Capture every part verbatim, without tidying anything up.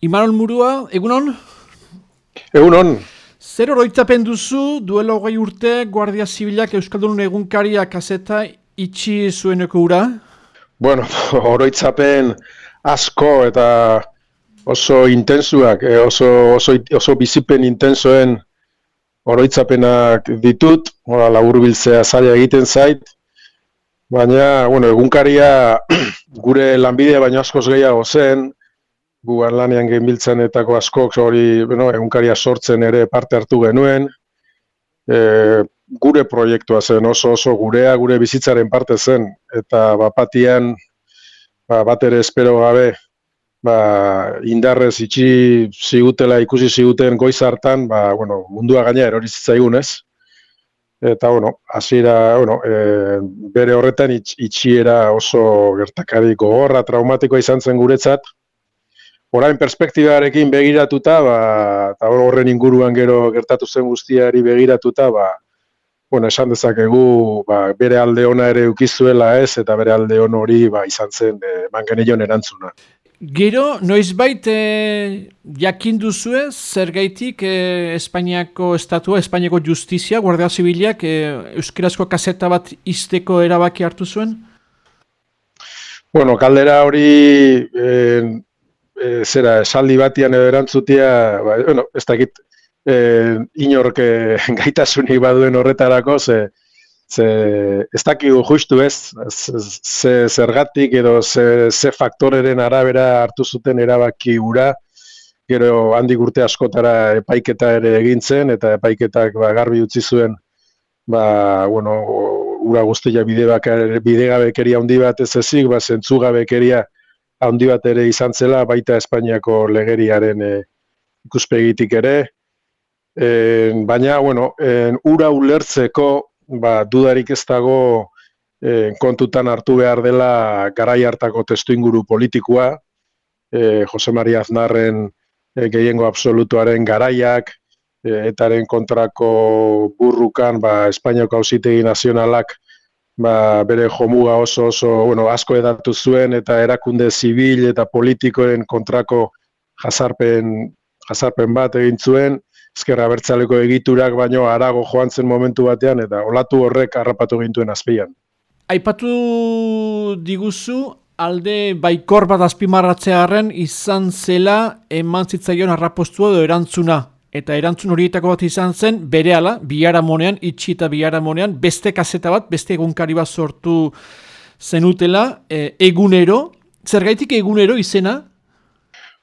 Imanol Murua, egunon? Egunon. Zer oroitzapen duzu, duela hogei urte, Guardia Zibilak Euskaldun egunkaria kaseta itxi zueneko ura? Bueno, oroitzapen asko eta oso intensuak, oso, oso, oso bizipen intensoen oroitzapenak ditut, laburbiltzea zaila egiten zait, baina, bueno, egunkaria gure lanbidea baino askoz gehiago zen, gu lanean genbiltzanetako askok hori, bueno, egunkaria sortzen ere parte hartu genuen, e, gure proiektua zen, oso oso gurea, gure bizitzaren parte zen, eta bapatian, ba, bat ere espero gabe, ba, indarrez itxi zigutela ikusi ziguten goiz hartan, ba, bueno, mundua gaina erori zitzaigun, ez? Eta, bueno, hasiera, bueno, e, bere horretan itx, itxiera oso gertakari gogorra, traumatikoa izan zen guretzat. Orain perspektibarekin begiratuta, ba, eta horren inguruan gero gertatu zen guztiari begiratuta, ba, bueno, esan dezakegu ba, bere alde ona ere ukizuela ez, eta bere alde on hori ba, izan zen e, eman genion erantzuna. Gero, noizbait e, jakin duzue, zergaitik e, Espainiako estatua, Espainiako justizia, Guardia Zibilak e, euskarazko kaseta bat izteko erabaki hartu zuen? Bueno, kaldera hori... E, E, zera, esaldi batian edo erantzutia, ba, bueno, ez dakit e, inork gaitasunik baduen horretarako, ze, ze ez dakigu justu ez, ze zergatik edo ze, ze faktoreren arabera hartu zuten erabaki ura, gero handik urte askotara epaiketa ere egintzen, eta epaiketak ba, garbi utzi zuen, ba, bueno, ura guztia bidegabekeria handi bat ez ezik, ba, zentzugabekeria handi bat ere izan zela, baita Espainiako legeriaren e, ikuspegitik ere. E, baina, bueno, e, ura ulertzeko, ba, dudarik ez dago e, kontutan hartu behar dela garai hartako testuinguru politikoa, e, Jose Maria Aznarren e, gehiengo absolutuaren garaiak, e, etaren kontrako burrukan, ba, Espainiako Auzitegi Nazionalak, ba, bere jomuga oso oso, bueno, asko edatu zuen eta erakunde zibil eta politikoen kontrako jazarpen, jazarpen bat egin zuen, ezker abertzaleko egiturak baino harago joan zen momentu batean eta olatu horrek harrapatu gintuen azpian. Aipatu diguzu, alde baikor bat azpimarratzearren izan zela eman zitzaion harrapostua edo erantzuna. Eta erantzun horietako bat izan zen, berehala, biharamonean, itxi eta biharamonean, beste kaseta bat, beste egunkari bat sortu zenutela, e, egunero. Zergaitik egunero izena?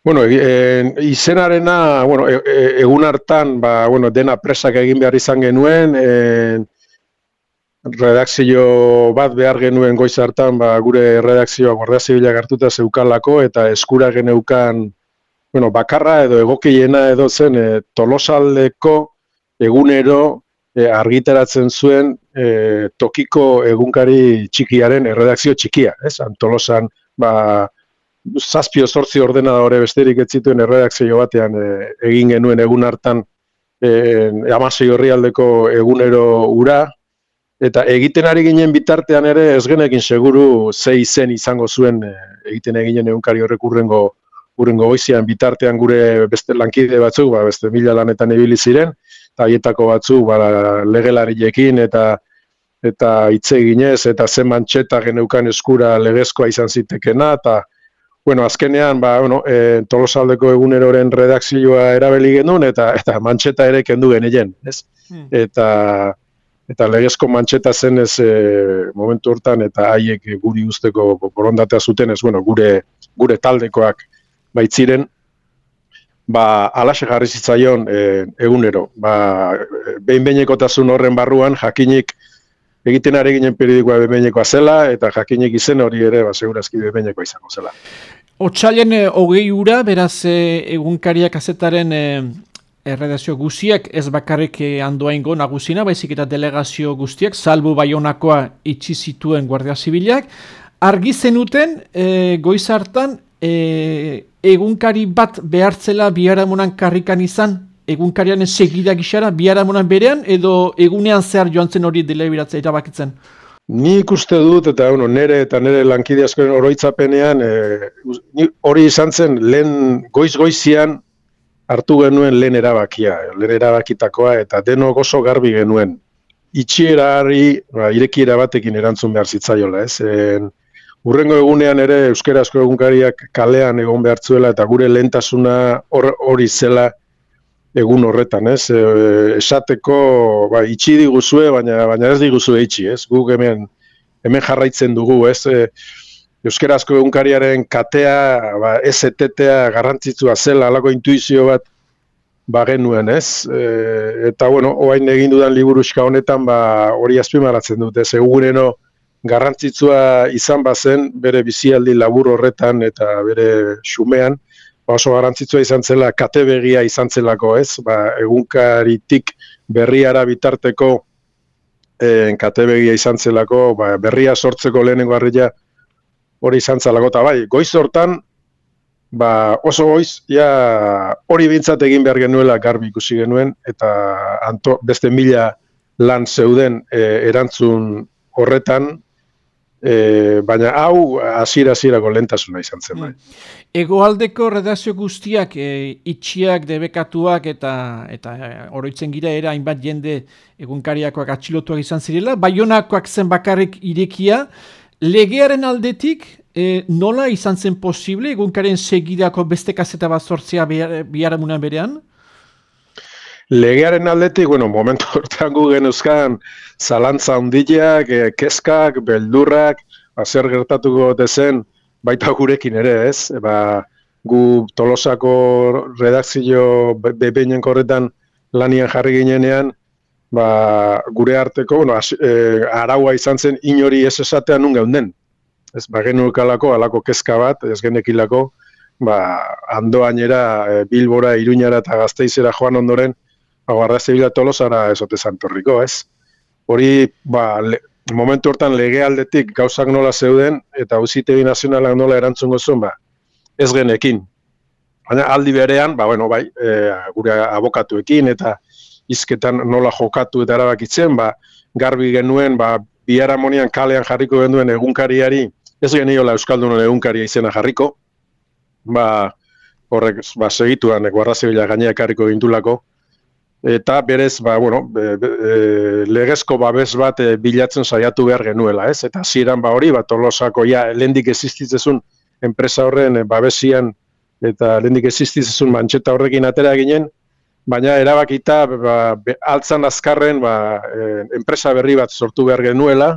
Bueno, e, izenarena, bueno, e, e, egun hartan, ba, bueno, dena presak egin behar izan genuen, e, redakzio bat behar genuen goiz hartan, ba, gure redakzioa Guardia Zibilak hartuta zeukalako, eta eskura geneukan, bueno, bakarra edo egokiena edo zen e, Tolosaldeko egunero e, argitaratzen zuen e, tokiko egunkari txikiaren erredakzio txikia, ez? Tolosan, ba, zazpio zortzi ordenadore besterik ez zituen erredakzio batean e, egin genuen egun hartan e, Amasei Orrialdeko egunero ura, eta egiten ari ginen bitartean ere ez genekin seguru ze izen izango zuen e, egiten eginen egunkari horrek urrengo Urrengo goizian bitartean gure beste lankide batzuk, ba, beste mila lanetan ibili ziren, eta haietako batzuk ba, legelariekin eta eta hitz eginez eta zen mantxeta geneukan eskura legezkoa izan zitekena, eta bueno, azkenean ba, bueno, e, Tolosaldeko eguneroren redakzioa erabili genuen eta eta mantxeta ere kendu genien, ez? Hmm. Eta eta legezko mantxeta zen ez e, momentu hortan eta haiek guri usteko borondatea zuten ez, bueno, gure gure taldekoak baitziren, ba, alaxe jarri zitzaion e, egunero. Ba, behin-behinekotasun horren barruan, jakinik egiten ari ginen periodikoa behin-behinekoa zela, eta jakinik izen hori ere, ba, segurazki behin-behinekoa izango zela. Otsailen e, hogei ura, beraz e, egunkariak kazetaren e, erredazio guztiak, ez bakarrik e, andoaingo nagusina, baizik eta delegazio guztiak, salbu Baionakoa itxi zituen Guardia Zibilak, argi zenuten e, goiz hartan, E, egunkari bat behartzela biharamonan karrikan izan, egunkarian segida gixara, biharamonan berean, edo egunean zehar joan zen hori delebiratzea erabakitzen? Nik uste dut, eta bueno, nere eta nere lankide askoren oroitzapenean, e, hori izan zen lehen goiz-goizian hartu genuen lehen erabakia, lehen erabakitakoa, eta denok oso garbi genuen. Itxierari, ba, irekiera batekin erantzun behar zitzaiola, ez? En, urrengo egunean ere euskarazko egunkariak kalean egon behartzuela, eta gure lehentasuna hori zela egun horretan, ez? E, esateko, ba, itxi diguzue, baina, baina ez diguzue itxi, ez? Guk hemen, hemen jarraitzen dugu, ez? E, euskarazko egunkariaren katea, ba, ez etetea garrantzitsua zela, alako intuizio bat ba genuen, ez? E, eta, bueno, oain egin dudan liburuxka honetan, ba, hori azpimarratzen dut, ez? Egunero garrantzitsua izan bazen, bere bizialdi labur horretan eta bere xumean, oso garrantzitsua izan zela, kate begia izan zelako, ez? Ba, egunkaritik berriara bitarteko eh, kate begia izan zelako, ba, berria sortzeko lehenengo harria hori izan zelako, eta bai, goiz hortan, ba, oso goiz, ja, hori bintzat egin behar genuela garbi ikusi genuen, eta anto, beste mila lan zeuden eh, erantzun horretan, E, baina hau hasiera-hasierako lehentasuna izan zen bai. Hegoaldeko redakzio guztiak e, itxiak, debekatuak eta eta e, oroitzen gira era hainbat jende egunkariakoak atxilotuak izan zirela, Baionakoak zen bakarrik irekia, legearen aldetik e, nola izan zen posible egunkaren segidako beste kaseta bat sortzea biharamunan berean? Legearen aldetik, bueno, momentu hortan gu genuzkan zalantza handiak, kezkak, beldurrak, zer gertatuko dezen, baita gurekin ere, ez? Ba, gu Tolosako redakzio behinenko horretan lanian jarri ginenean, ba, gure arteko, bueno, as, e, araua izan zen inori ez esatean nun geunden. Ez, ba, genukalako, alako kezka bat, ez genekilako, ba, andoainera, e, Bilbora, Iruñara eta Gasteizera joan ondoren, Guardia Zibila Tolosara ezote zantorriko, ez? Hori, ba, le, momentu hortan legealdetik gauzak nola zeuden, eta auzitegi nazionalak nola erantzungo zuen, ba, ez genekin. Baina aldi berean, ba, bueno, bai, e, gure abokatuekin, eta hizketan nola jokatu eta erabakitzen, ba, garbi genuen, ba, biharamonean kalean jarriko genuen egunkariari, ez geniola Euskaldunon egunkaria izena jarriko, ba, horrek, ba, segituan, Guardia Zibila gainea ekarriko gintulako, eta berez, ba, bueno, be, be, e, legezko babes bat e, bilatzen saiatu behar genuela, ez? Eta hasieran ba hori, ba, Tolosako ja, lehendik existitzezun enpresa horren e, babesian, eta lehendik existitzezun mantxeta horrekin atera ginen, baina erabakita, ba, be, altzan azkarren, ba, e, enpresa berri bat sortu behar genuela,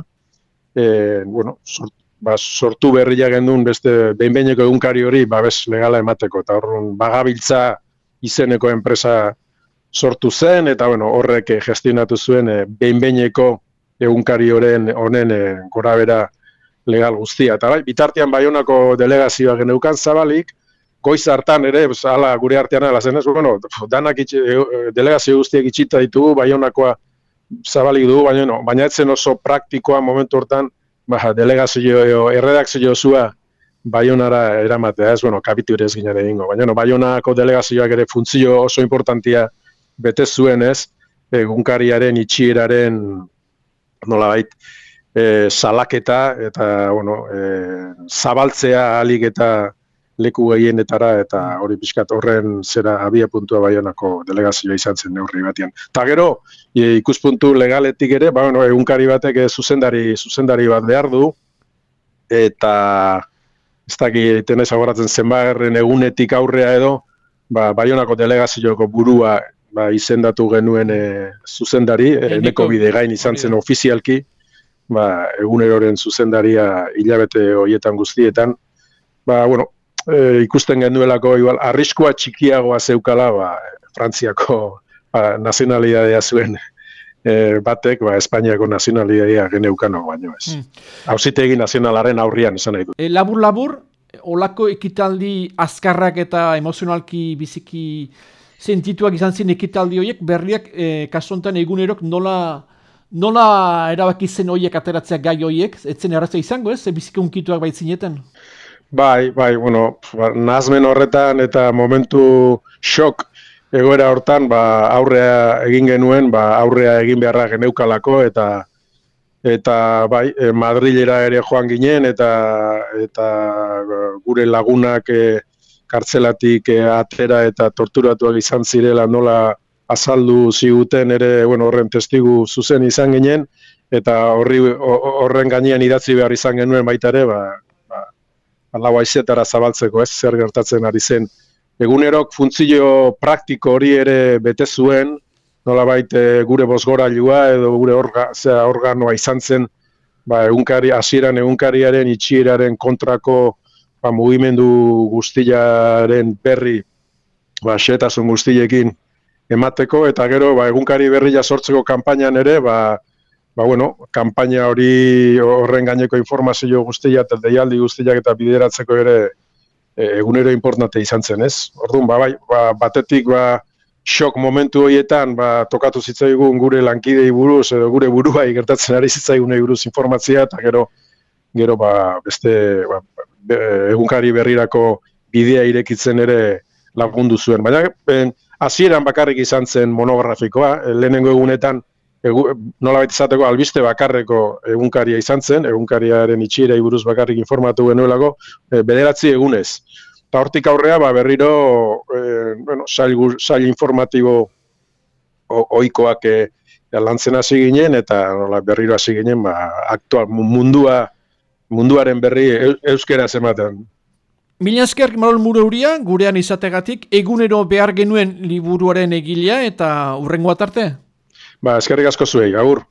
e, bueno, sort, ba, sortu berria genuen beste behin-behineko egunkari hori babes legala emateko, eta horren bagabiltza izeneko enpresa sortu zen, eta bueno, horrek gestionatu zuen e, behin-behineko egunkari horren honen e, gorabera legal guztia. Eta bai, bitartean Baionako delegazioa geneukan zabalik, goiz hartan ere, ala gure artean ala zen ez, bueno, danak itxe, delegazio guztiak itxita ditugu, Baionakoa zabalik dugu, baina, no, baina etzen oso praktikoa momentu hortan, ba, delegazio, erredakzio zua Baionara eramatea, ez, bueno, kapitu ere ez ginen egingo, baina no, Baionako delegazioak ere funtzio oso importantia bete zuen ez, egunkariaren itxieraren nolabait e, salaketa eta bueno, e, zabaltzea ahalik eta leku gehienetara eta hori pixkat horren zera abia puntua Baionako delegazioa izan zen neurri batean. Ta gero, e, ikuspuntu legaletik ere, ba, bueno, egunkari batek zuzendari, zuzendari bat behar du, eta ez dakit tenez agoratzen zenbagarren egunetik aurrea edo, ba, Baionako delegazioko burua ba, izendatu genuen e, zuzendari, e, neko bide gain izan zen ofizialki, ba, eguneroren zuzendaria hilabete horietan guztietan, ba, bueno, e, ikusten genuelako igual, arriskua txikiagoa zeukala, ba, Frantziako ba, nazionalidadea zuen e, batek, ba, Espainiako nazionalidadea geneukano baino ez. Hmm. Auzitegi nazionalaren aurrian esan nahi du. E, labur labur, olako ekitaldi azkarrak eta emozionalki biziki sentituak izan zen ekitaldi horiek, berriak e, kasontan egunerok nola, nola erabaki zen horiek ateratzea gai horiek, etzen erratza izango ez, biziki unkituak baitzineten? Bai, bai, bueno, nazmen horretan eta momentu shock egoera hortan, ba, aurrea egin genuen, ba, aurrea egin beharra geneukalako eta eta bai, e, Madrilera ere joan ginen, eta eta gure lagunak e, kartzelatik e, atera eta torturatuak izan zirela nola azaldu ziguten ere, bueno, horren testigu zuzen izan ginen, eta horri horren gainean idatzi behar izan genuen baita ere, ba, ba, lau haizetara zabaltzeko, ez, zer gertatzen ari zen. Egunerok funtzio praktiko hori ere bete zuen, nolabait e, gure bozgorailua edo gure orga, zera, organoa izan zen, ba, egunkari, hasieran egunkariaren itxieraren kontrako ba, mugimendu guztiaren berri, ba, xehetasun guztiekin emateko, eta gero ba, egunkari berria sortzeko kanpainan ere, ba, ba, bueno, kanpaina hori horren gaineko informazio guztia eta deialdi guztiak eta bideratzeko ere e, egunero importante izan zen, ez? Orduan, ba, bai, ba, batetik ba, shock momentu horietan ba, tokatu zitzaigun gure lankidei buruz edo gure buruai gertatzen ari zitzaigunei buruz informazioa, eta gero gero ba, beste ba, egunkari berrirako bidea irekitzen ere lagundu zuen. Baina ben, hasieran bakarrik izan zen monografikoa, lehenengo egunetan egu, nolabait izateko albiste bakarreko egunkaria izan zen, egunkariaren itxierei buruz bakarrik informatu genuelako, e, bederatzi egunez. Eta hortik aurrea ba, berriro e, bueno, sail, sail informatibo ohikoak e, lantzen hasi ginen, eta nola, berriro hasi ginen ba, aktual mundua, munduaren berri euskeraz ematen. Mila esker, Manol Murauria, gurean izategatik, egunero behar genuen liburuaren egilea eta hurrengo atarte? Ba, eskerrik asko zuei, agur.